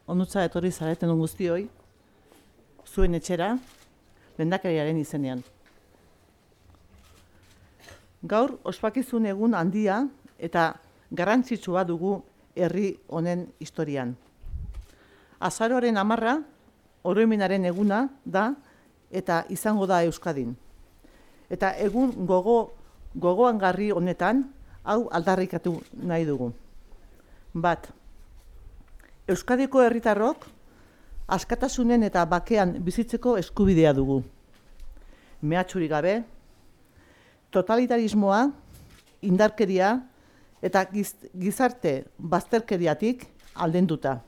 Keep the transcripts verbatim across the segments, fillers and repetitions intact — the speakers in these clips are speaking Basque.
onutza etorri zareten guztioi, zuen etxera, lehendakariaren izenean. Gaur, ospakizun egun handia eta garrantzitsua dugu herri honen historian. Azaroaren hamarra, oroimenaren eguna da eta izango da Euskadin. Eta egun gogo, gogoangarri honetan, hau aldarrikatu nahi dugu. Bat, Euskadiko herritarrok askatasunen eta bakean bizitzeko eskubidea dugu. Mehatxurik gabe, totalitarismoa, indarkeria eta giz, gizarte bazterkeriatik aldenduta.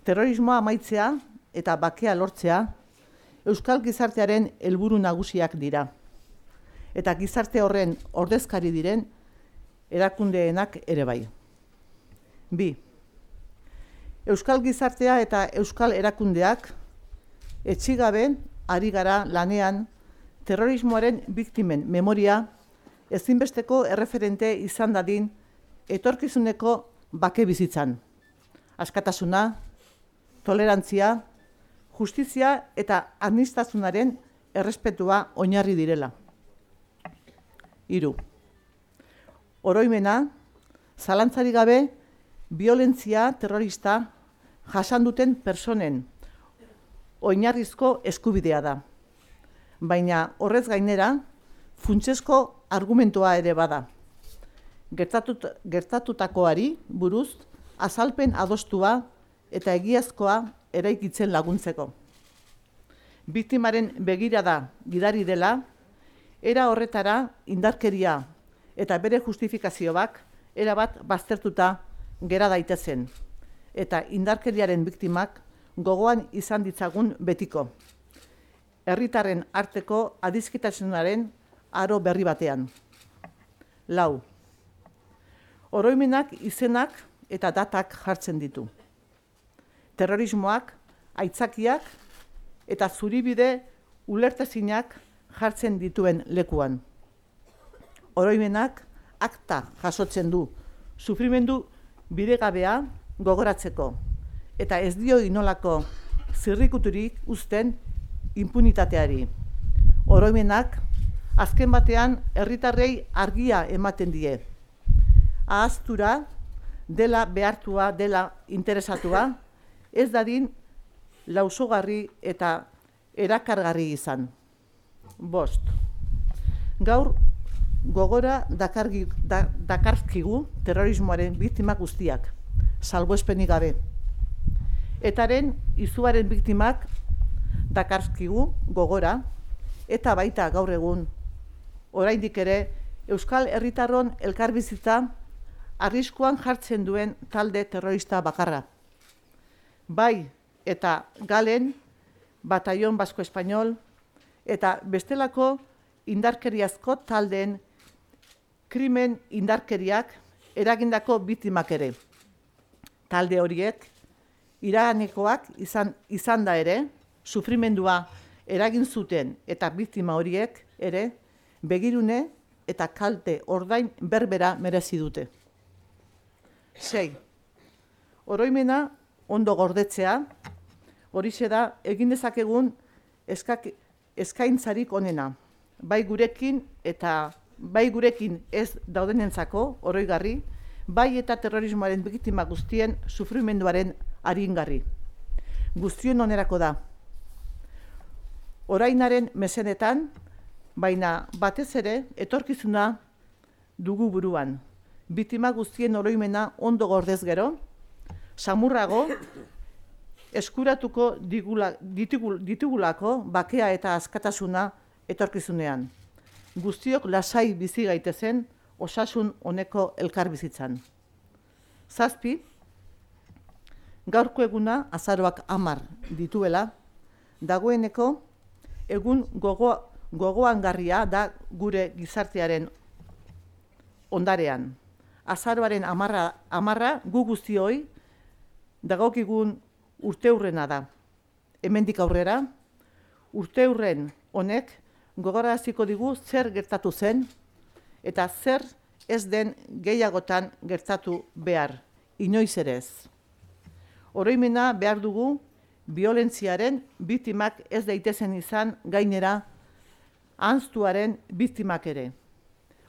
Terrorismoa amaitzea eta bakea lortzea euskal gizartearen helburu nagusiak dira. Eta gizarte horren ordezkari diren erakundeenak ere bai. Bi. Euskal gizartea eta euskal erakundeak etxigabe ari gara lanean terrorismoaren biktimen memoria ezinbesteko erreferente izan dadin etorkizuneko bake bizitzan. Askatasuna, tolerantzia, justizia eta aniztasunaren errespetua oinarri direla. Hiru. Oroimena, zalantzarik gabe, biolentzia terrorista jasan duten personen oinarrizko eskubidea da. Baina horrez gainera, funtsezko argumentua ere bada. Gertatut, gertatutakoari buruz azalpen adostua eta egiazkoa eraikitzen laguntzeko. Biktimaren begirada gidari dela, era horretara indarkeria eta bere justifikazioak erabat baztertuta gera daitezen, eta indarkeriaren biktimak gogoan izan ditzagun betiko. Herritarren arteko adiskitasunaren aro berri batean. Lau. Oroimenak izenak eta datak jartzen ditu. Terrorismoak, aitzakiak eta zuribide ulertezinak jartzen dituen lekuan. Oroimenak akta jasotzen du, sufrimendu bidegabea gogoratzeko, eta ez dio inolako zirrikuturik uzten impunitateari. Oroimenak azken batean herritarrei argia ematen die. Ahaztura dela behartua, dela interesatua, ez dadin lausogarri eta erakargarri izan. Bost. Gaur gogora dakargi, da, dakarkigu terrorismoaren biktimak guztiak, salbuespenik gabe. Etaren izuaren biktimak dakarkigu gogora, eta baita gaur egun, oraindik ere, euskal herritarron elkarbizitza arriskuan jartzen duen talde terrorista bakarra. Bai eta Galen, Batallón Basko Espainol, eta bestelako indarkeriazko taldeen krimen indarkeriak eragindako biktimak ere. Talde horiek, iraganekoak izan, izan da ere, sufrimendua eragin zuten eta biktima horiek ere, begirune eta kalte ordain berbera merezi dute. Sei. Oroimena ondo gordetzea, horixe da egin dezakegun eskak, eskaintzarik onena, bai gurekin eta bai gurekin ez daudenentzako oroigarri, bai eta terrorismoaren biktima guztien sufrimenduaren aringarri. Guztion onerako da. Orainaren mesedetan, baina batez ere etorkizuna dugu buruan. Biktima guztien oroimena ondo gordez gero, samurrago eskuratuko digula, ditugul, ditugulako bakea eta askatasuna etorkizunean. Guztiok lasai bizi gaitezen osasun honeko elkarbizitzan. Zazpi, gaurko eguna azaroak hamar dituela, dagoeneko egun gogo, gogoangarria da gure gizartearen ondarean. Azaroaren hamarra, hamarra gu guztioi dagokigun urteurrena da. Hemendik aurrera, urteurren honek gogoraraziko digu zer gertatu zen eta zer ez den gehiagotan gertatu behar, inoiz ere ez. Oroimena behar dugu biolentziaren biktimak ez daitezen izan, gainera ahaztuaren biktimak ere.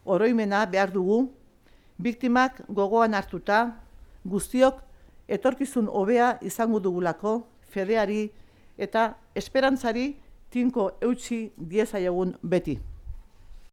Oroimena behar dugu biktimak gogoan hartuta, guztiok etorkizun hobea izango dugulako, fedeari eta esperantzari tinko eutsi diezaiogun beti.